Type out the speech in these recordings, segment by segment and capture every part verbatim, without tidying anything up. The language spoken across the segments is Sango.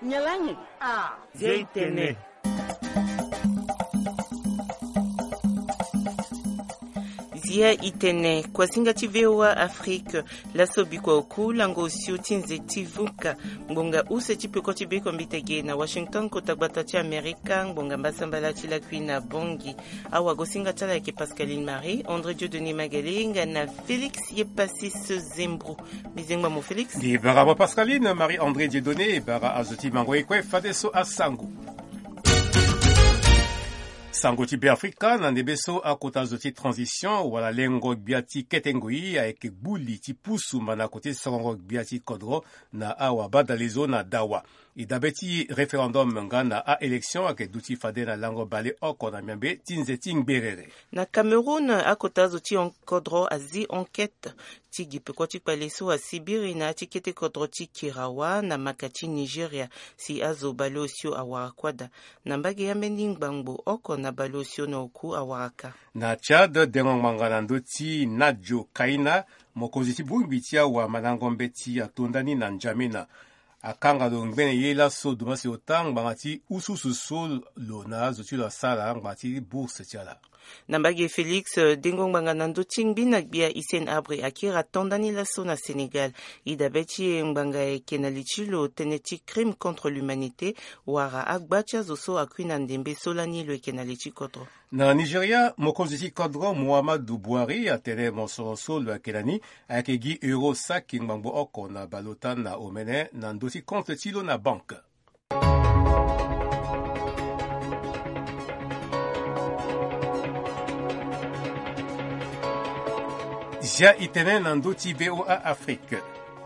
Nyalangi. Ah. Zia itene. Zia itene, kuasinga ti V O A Afrique. Laso bikua oku lango osio ti nze ti vuka. Ngbonga use ti peko ti beko mbitege na Washington, kota gbata ti Amerika, ngbonga mbasambala ti lakui na Bongi. Awagosinga ti ala ayeke Pascaline Marie, André Dieudonné Magali nga na Félix Yepassis Zembro. Mbi zengba mo Félix. Mbi bara mo Pascaline Marie André Dieudonné, bara azo ti mango ye kue fadeso asango. Sango ti Beafrika, na ndembe so akota zo ti transition wala lengo gbia ti kete ngoi ayeke gbu li ti pusu manako ti sorongo gbia ti kodro na awabadalezo na dawa. E dabe ti référendum nga na a-élection ayeke duti fade na lango baleoko na miambe ti nze ti ngberere. Na Cameroun, akota zo ti kodro azi enquête ti gi peko ti kpale so asibiri na ya ti kete kodro ti Kirawa na maka ti Nigeria, si azo baleosio awara kuâ daa. Na mbage ambeni ngbangbo oko na baleosio na oku awara kâ. Na Tchad, dengo ngbanga na ndö ti Nadjo Kaina, mokonzi ti bongbi ti awamandango mbeti atonda ni na N'Djamena. Akanga lo ngbene ye laso domasi ota ngbanga ti ususu so lo na azo ti lo asara ngbanga ti bourse ti ala. Na mbage Félix, eh, dengo ngbanga na ndö ti ngbi na gbia Hissène Habré akiri atonda ni laso na Sénégal. E dabe ti e ngbanga ayeke na li ti lo tënë ti crime contre l'humanité, wala agba ti azo so akui na ndembe so lani lo yeke na li ti kodro. Na Nigeria, mokonzi ti kodro Muhammadu Buhari atene mosoro so lo yeke na ni ayeke gi euro saki ngbangbo oko na baleota na omene na ndö ti compte ti lo na banke. Zia itene na ndö ti V O A Afrique.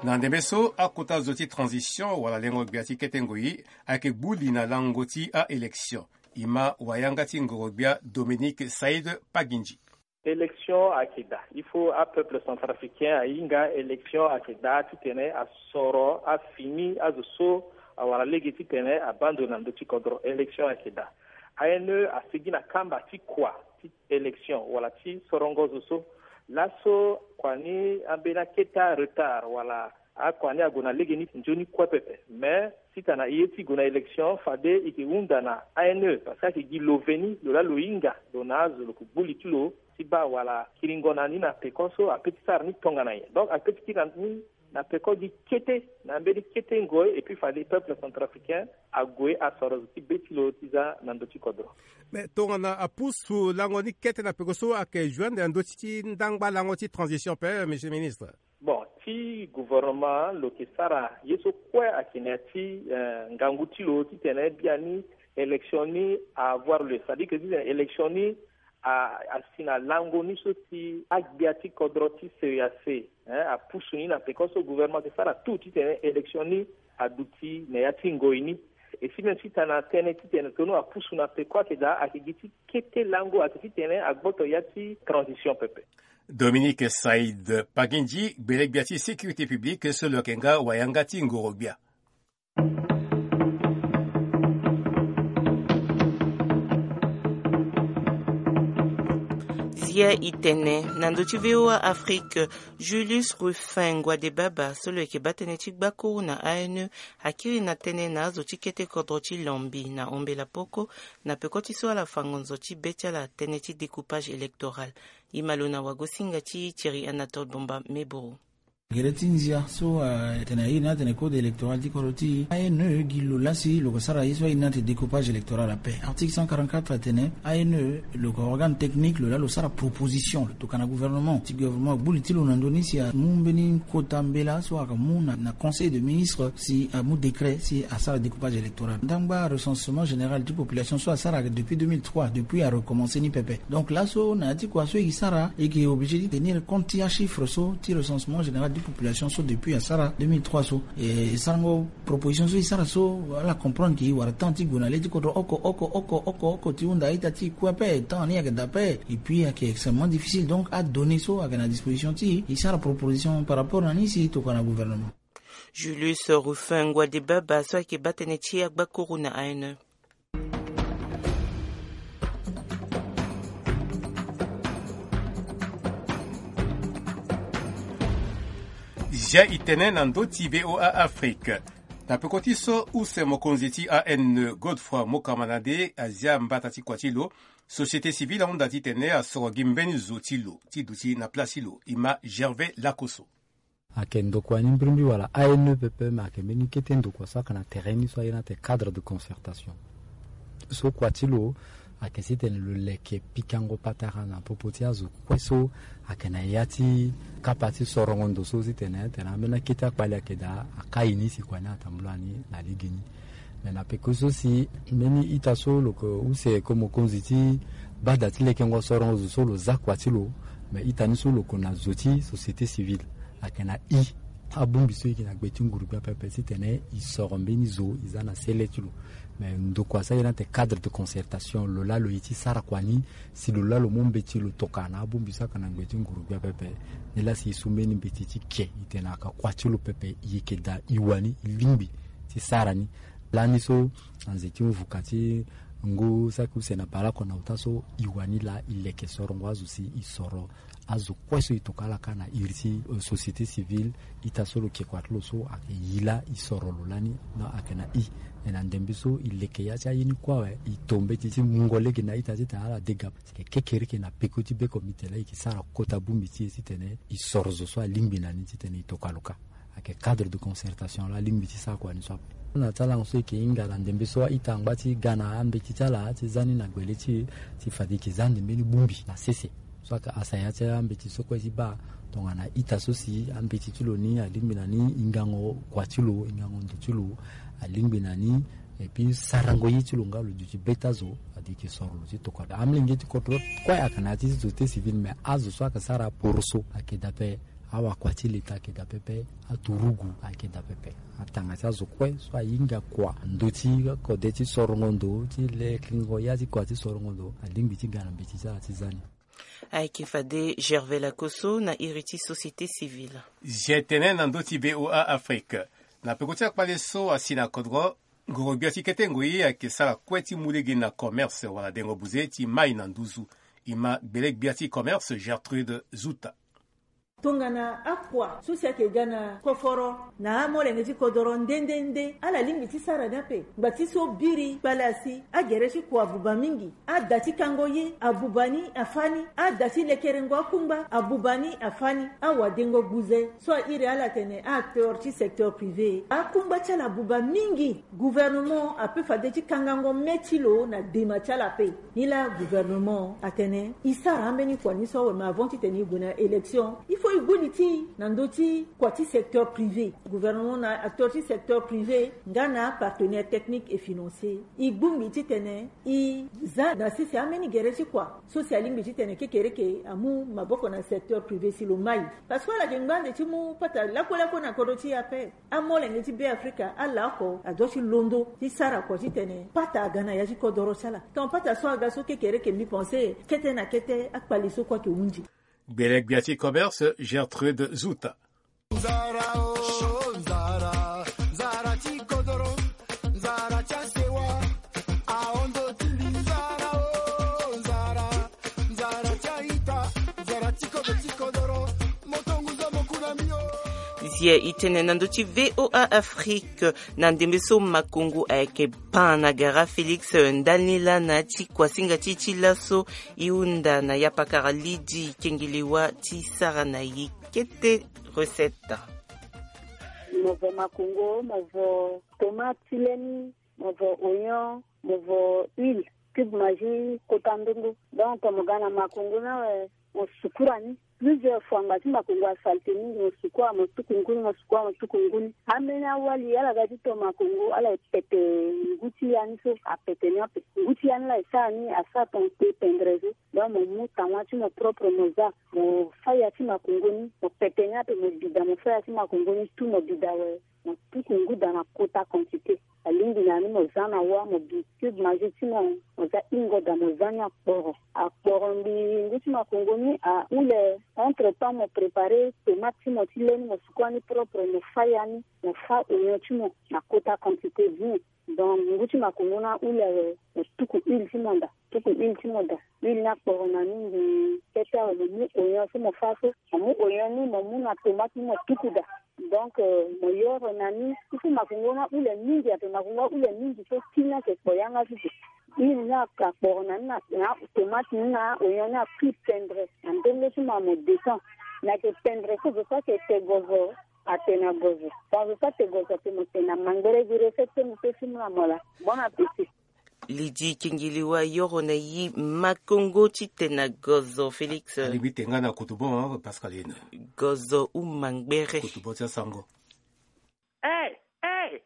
Na ndembe so akota zo ti transition wala lengo gbia ti kete ngoi ayeke gbu li na lango ti a-élection. E ma wayanga ti ngoro-gbia Dominique Saïd Pagindji. Élection ayeke daa. Il faut apeuple centrafricain ahinga élection ayeke daa titene asoro afini azo so awara lege titene abaa ndo na ndö ti kodro. Élection ayeke daa. A N E asigi na kamba ti kua ti élection wala ti sorongo zo so. Laso kua ni ambeni akete retard wala akua ni ague na lege ni nzoni kue pepe. Mais si tana e ye ti gue na élection fade e yeke hunda na A N E parce que ayeke gi lo veni lo laa lo hinga lo na azo lo yeke gbu li ti lo ti baa wala kiringo na ni na peko so ape ti sara ni tongana nyen. Donc ape ti kiri na ni na peko gi kete na mbeni kete ngoi et puis fade peuple centrafricain ague asoro zo ti be ti lo ti za na ndö ti kodro. Mais tongana apusu lango ni kete na peko so ayeke joindre na ndö ti ndangba lango ti transition ape, monsieur le ministre? Bon, ti gouvernement lo yeke sara ye so kue ayeke na ya ti, eh, ngangu ti lo titene biani élection ni a avoir lieu, c'est-à-dire que titene élection ni a, asi na lango ni so si agbia ti kodro ti C E E A C, hein, apusu ni na peko so gouvernement ayeke sara tout titene élection ni aduti na ya ti ngoi ni. E si même si tana tënë titene tongana apusu na peko ayeke daa ayeke gi ti kete lango ayeke titene agboto ya ti transition pepe. Dominique Saïd Pagindji, gbele-gbia ti sécurité publique so lo yeke nga wayanga ti ngoro-gbia. Zia itene na ndö ti V O A Afrique, Julius Rufin Ngwadebaba so lo yeke baa tënë ti gbakuru na A N E akiri na tënë na azo ti kete kodro ti Lombi na Ombela Poko na peko ti so ala fa ngonzo ti be ti ala tënë ti découpage électoral. E ma lo na wagosinga ti Thierry Anatole Bomba Meboro. Gere ti nzia so, ah, atene airi ni atene code électoral ti kodro ti e, A N E gi lo laa si lo yeke sara ye so airi ni atene découpage électoral ape. Article cent quarante-quatre atene A N E lo yeke organe technique, lo laa lo sara proposition, lo tokua na gouvernement. Si gouvernement agbu li ti lo na ndö ni si amu mbeni kota mbela so ayeke mu na, na conseil de ministre si amu décret si asara découpage électoral. Ndangba recensement général ti population so asara depuis deux mille trois, depuis arecommencer ni pepe. Donc laso na ya ti kua so e sara, e yeke obligé ti tenir compte ti achiffre so ti recensement général ti population so depuis asara deux mille trois so. E, e sarango proposition so e sara so, ala comprendre ke e wara temps ti gue na le ti kodro oko oko oko oko oko ti hunda a-ita ti e kue ape, temps ni ayeke daa ape. Et puis ayeke extrêmement difficile. Donc adonnée so ayeke na disposition ti e, e sara proposition par rapport na ni si e tokua na gouvernement. Julius Rufin Ngwadebaba so ayeke baa tënë ti agbakuru na A N E. Zia itene na ndö ti V O A Afrique. Na peko ti so use mokonzi ti A N E, Godefroid Mokamanade, azia mbata ti kua ti lo. Société civile ahunda titene asoro gi mbeni zo ti lo ti duti na place ti lo. E ma Gervais Lakosso. Ayeke ndokua ni mbirimbiri wala A N E pepe, me ayeke mbeni kete ndokua so ayeke na terrain ni so aye na ate cadre de concertation. So kua ti lo ayeke titene lo leke pikango patara na popo ti azo kue so ayeke na ya ti kapa ti sorongo ndo so titene tena ambeni akete akpali ayeke daa akai ni si kua ni atambula ni na lege ni. Me na peko so si mbeni ita so lo yeke use yeke mokonzi ti bada ti lekengo sorongo zo so lo za kua ti lo. Me ita ni so lo yeke na zo ti société civile ayeke na i abongbi so e yeke na gbe ti nguru gbia pepe titene e soro mbeni zo e za na sele ti lo. Me ndokua so aye na ate cadre de concertation lo laa lo ye ti sara kua ni. Si lo laa lo mu mbeti lo toka na abongbi so ayeke na ngbe ti nguru gbia pepe, ni laa si e su mbeni mbeti ti ke e tene ayeke kua ti lo pepe e yeke daa e wani e lingbi ti sara ni. Lani so na nze ti mvuka ti ngu saki use na baleoko na ota so e wani laa e leke sorongo azo si e soro azo kue so e tokua ala kâ na iri ti société civile. Ita so lo ke kua ti lo so ayeke e laa e soro lo lani. Donc ayeke na i. E na ndembe so e leke ya ti aye ni kue awe e to mbeti ti mungo lege na ita titene ala dega. Kekereke na peko ti be comité laa e yeke sara kota bongbi ti e titene e soro zo so alingbi na ni titene e tokua lo kâ. Ayeke cadre de concertation laa alingbi ti sara kua ni so ape. Na ti alango so e yeke hinga na ndembe so a-ita angba ti ga na ambeti ti ala ti za ni na gbele ti e, ti fade e yeke za ande mbeni bongbi na sese so ayeke asaya ti ambeti so kue ti baa. Tongana ita so si ambeti ti lo ni alingbi na ni hingango kua ti lo, hingango ndo ti lo alingbi na ni. Et puis sarango ye ti lo nga lo duti be ti azo. Fade e yeke soro lo ti tokua. Amolenge ti kodro kue ayeke na ya ti société civile, me azo so ayeke sara poroso ayeke daa ape. Awakua ti leta ayeke daa pepe. Aturugu ayeke daa pepe. Atanga ti azo kue so ahinga kua ndo ti kode ti sorongo ndo ti lekengo ya ti kua ti sorongo ndo alingbi ti ga na mbeti ti ala ti za ni. Ayeke fade Gervais Lakosso na iri ti société civile. Zia tene na ndö ti V O A Afrique. Na peko ti akpale so asi na kodro, ngoro-gbia ti kete ngoi ayeke sara kue ti mu lege na commerce wala dengo buze ti mai na nduzu. E ma gbele-gbia ti commerce Gertrude Zuta. Tongana akua so si ayeke ga na koforo na amolenge ti kodoro nde nde nde ala lingbi ti sara ni ape. Ngba ti so biri kpale asi, agere ti kua abuba mingi. Ada ti kango ye abuba ni afâ ni. Ada ti lekerengo akungba abuba ni afâ ni. Awadengo gbuze so a iri ala atene a-acteur ti secteur privé, akungba ti ala abuba mingi. Gouvernement ape fade ti kangango me ti lo na dema ti ala ape. Ni laa gouvernement atene e sara ambeni kua ni so awe, me avant titene e gue na élection, il faut e gbu li ti e na ndö ti kua ti secteur privé. Gouvernement na acteur ti secteur privé nga na apartenaire technique et financier, e gbu ngbii titene e za na sese ambeni gere ti kua so si alingbi titene kekereke amu maboko na secteur privé si lo mai. Parce que ala yeke ngba ande ti mu pata lakue lakue na kodro ti e ape. Amolenge ti Beafrika ala oko adoit ti londo ti sara kua titene pata aga na ya ti kodoro ti ala. Tant pata so aga so kekereke mbi pense kete na kete akpali so kue ayeke hunzi. Gbele-gbia ti commerce Gertrude Zuta. Nzara o, nzara, nzara ti kodoro, nzara ti asewa, ahon ndo ti mbi, nzara o, nzara, nzara ti a-ita, nzara ti kobe ti kodoro, moto ngu zo mo ku na mbi o. Zia e tene na ndö ti V O A Afrique, na ndembe so makongo ayeke pan na gara Félix ndali ni laa na ya ti kuasinga ti e ti laso, e hunda na yapakara Lydie Kengelewa ti sara na ye kete recette. Mo vo makongo, mo vo tomate ti leni, mo vo oignon, mo vo huile, cube Maggi kota ndongo. Donc mo ga na makongo ni awe, mo sukura ni. Plusieurs fois ngba ti makongo asalte mingi, mo sukura, mo tuku ngu ni, mo sukura, mo tuku ngu ni. Ambeni awali ala ga ti to makongo, ala e pete ngu ti ya ni so, apete ni ape. Ngu ti ya ni laa e sara ni, asara tongana pe pendrezo. Donc mo mu tangua ti mo propre, mo za, mo fâ ya ti makongo ni, mo pete ni ape, mo bi daa, mo fâ ya ti makongo ni tout, mo bi daa awe. Mo tuku ngu daa na kota quantité. Alingbi na ni mo za na wâ, mo bi cube Maggi ti mo, mo za hingo daa, mo za ni akporo. Akporo mbi ngu ti makongo ni ahule. Entre temps mo préparer tomate ti mo ti leni, mo sukua ni propre, mo fâ ya ni, mo fâ oignon ti mo na kota quantité bien. Donc ngu ti makongo ni ahule awe, mo tuku huile ti mo daa. Tuku huile ti mo daa. Huile ni akporo na ni mbi kete awe, mo mu oignon so mo fâ so. Mo mu oignon ni, mo mu na tomate ni, mo tuku daa. Donc, euh, mo yoro na ni, il faut makongo na ule mingi, ape makongo ule mingi, so tina ke kpo yanga sisi. Ni na ka kporo na ni na, na tomate ni na oignon ni a prix pendre. Na ndenge ti ma mo descend. Na ke pendre ko zo sa ke te gozo, ate na gozo. Bon, zo sa te gozo, te mo te na mangbere di recette, te mo te simu na mola. Bon appétit. Lidi Kingiliwa yoro na yi makongo ti tena gozo, Félix. Alingbi te nga na kutu bon, hein, Pascaline. Gozo ou mangbere. Kutu bon ti asango. Eh, eh,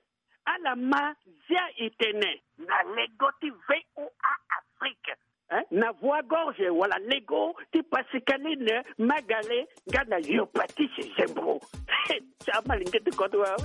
ala ma zia itene. Na lego ti V O A Afrique. Hein? Na voix gorge wala lego ti Pascaline Magale nga na yo Patrice Zembro. Ti ama lingete koto wa.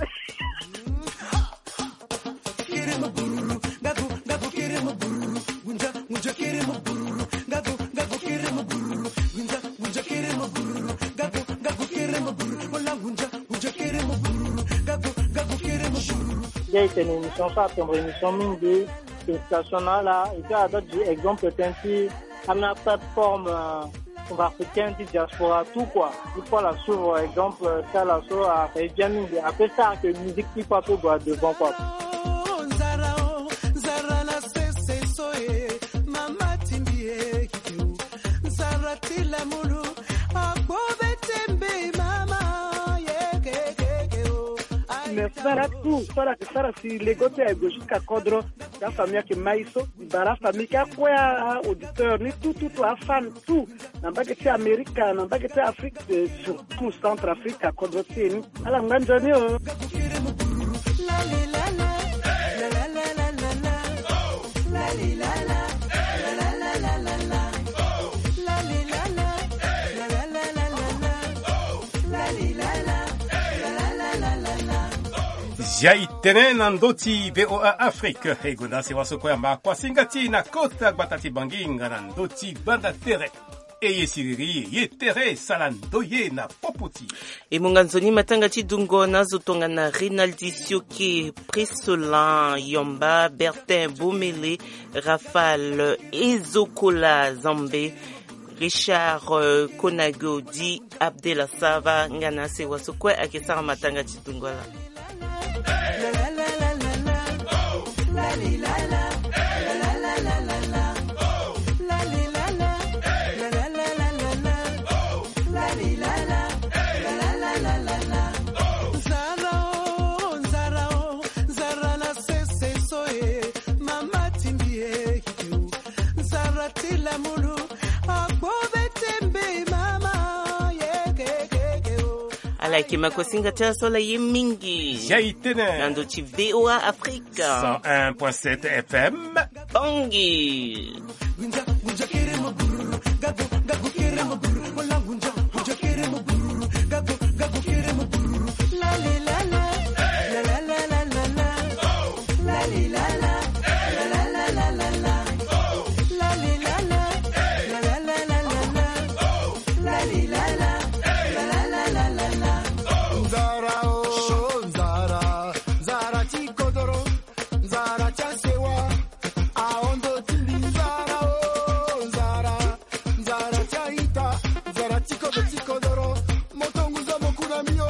Nde ayeke na émission so atombo émission mingi, félicitation na ala. Et puis ala dua gi exemple tënë ti ambeni aplateforme, euh, centrafricaine ti diaspora tout quoi. Il faut ala suivre exemple, euh, ti ala so afa ye bien mingi. Ape sara que musique ti fa ape gue devant quoi. Mais sara tout, sara que sara si lego ti aye gue jusqu'à kodro. Ti afamille ayeke ma ye so. Bara famille ti akue, a auditeur ni tout, tout, tout, afan tout, na mbage ti Amerika, na mbage ti Afrique, euh, surtout Centrafrique, akodro ti e ni. Ala ngba nzoni o. Zia itene na ndö ti V O A Afrique. E gonda sewa so kue amba kuasinga ti na kota gbata ti Bangi nga na ndö ti gbanda tere. E ye siriri, ye tere, sala ndoye na popo ti e. Mo nga nzoni matanga ti dungo na azo tongana Rinaldi Sioke, Prisolan Yomba, Bertin Bomele, Raphaël Ezokola Zambe, Richard, euh, Konago, di Abdela Sava, nga na asewa so kue ayeke sara matanga ti dungo ala. Ala yeke ma kuasinga ti ala so ala ye mingi. Zia itene na ndö ti V O A Afrique. Cent un point sept F M. Bangi. Nzara o, nzara, nzara ti kodoro, nzara ti asewa, ahondo ti mbi. Nzara o, nzara, nzara ti aita, nzara ti kodro ti kodoro, mo tonguza mo kuna mio.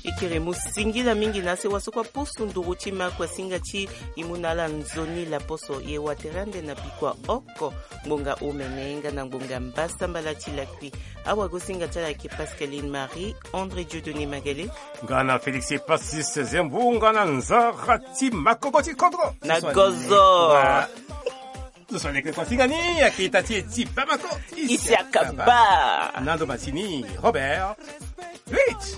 E kere mo singila mingi na asewa so kue apusu nduru ti ma kuasinga ti e mu na ala nzoni laposo. E wa tere ande na bikua oko, ngbonga omene nga na ngbonga mbasambala ti lakui. Awagosinga ti ala ayeke Pascaline Marie, André Dieudonné Magale, nga na Félix Pacis Zembu, nga na nzara ti makobo ti kodro na gozo. Zo so aleke kuasinga ni ayeke ita ti e ti Bamako, Isiaka Ba. Na ndo masini Robert Rich.